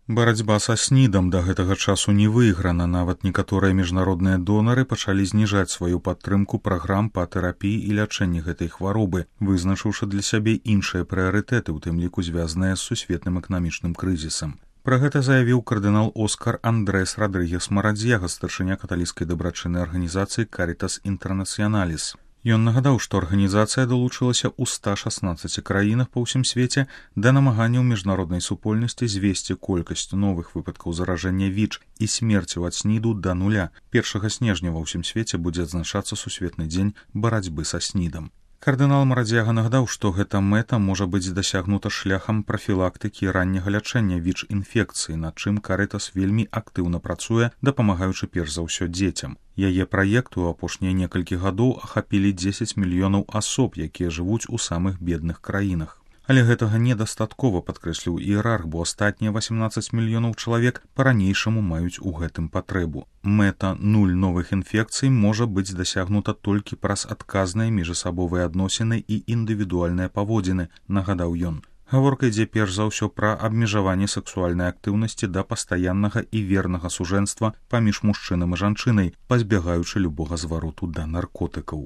Барацьба са СНІДам да гэтага часу не выйграна, нават некаторыя міжнародныя донары пачалі зніжаць сваю падтрымку праграм па тэрапіі і лячэнні гэтай хваробы, вызначыўшы для сябе іншыя прыярытэты, у тым ліку звязаныя з сусветным эканамічным крызісам. Пра гэта заявіў кардынал Оскар Андрэс Радрыгес Марадзьяга, старшыня каталіцкай дабрачыннай арганізацыі Caritas Internationalis. Ён нагадаў, што арганізацыя далучылася ў 116 краінах па ўсім свеце да намаганняў міжнароднай супольнасці звесці колькасць новых выпадкаў заражэння ВІЧ і смерцяў ад СНІДу да нуля. 1 снежня ва ўсім свеце будзе адзначацца сусветны дзень барацьбы са СНІДам. Кардынал Марадзьяга нагадаў, што гэта мэта можа быць дасягнута шляхам прафілактыкі і ранняга лячэння ВІЧ-інфекцыі, над чым Caritas вельмі актыўна працуе, дапамагаючы перш за ўсё дзецям. Яе праект у апошнія некалькі гадоў ахапілі 10 мільёнаў асоб, якія жывуць у самых бедных краінах. Але гэтага недастаткова, падкрэсліў іерарх, бо астатнія 18 мільёнаў чалавек па-ранейшаму маюць у гэтым патрэбу. Мэта 0 новых інфекцый можа быць дасягнута толькі праз адказныя міжасабовыя адносіны і індывідуальныя паводзіны, нагадаў ён. Гаворка ідзе перш за ўсё пра абмежаванне сексуальнай актыўнасці да пастаяннага і вернага сужэнства паміж мужчынам і жанчынай, пазбягаючы любога звароту да наркотыкаў.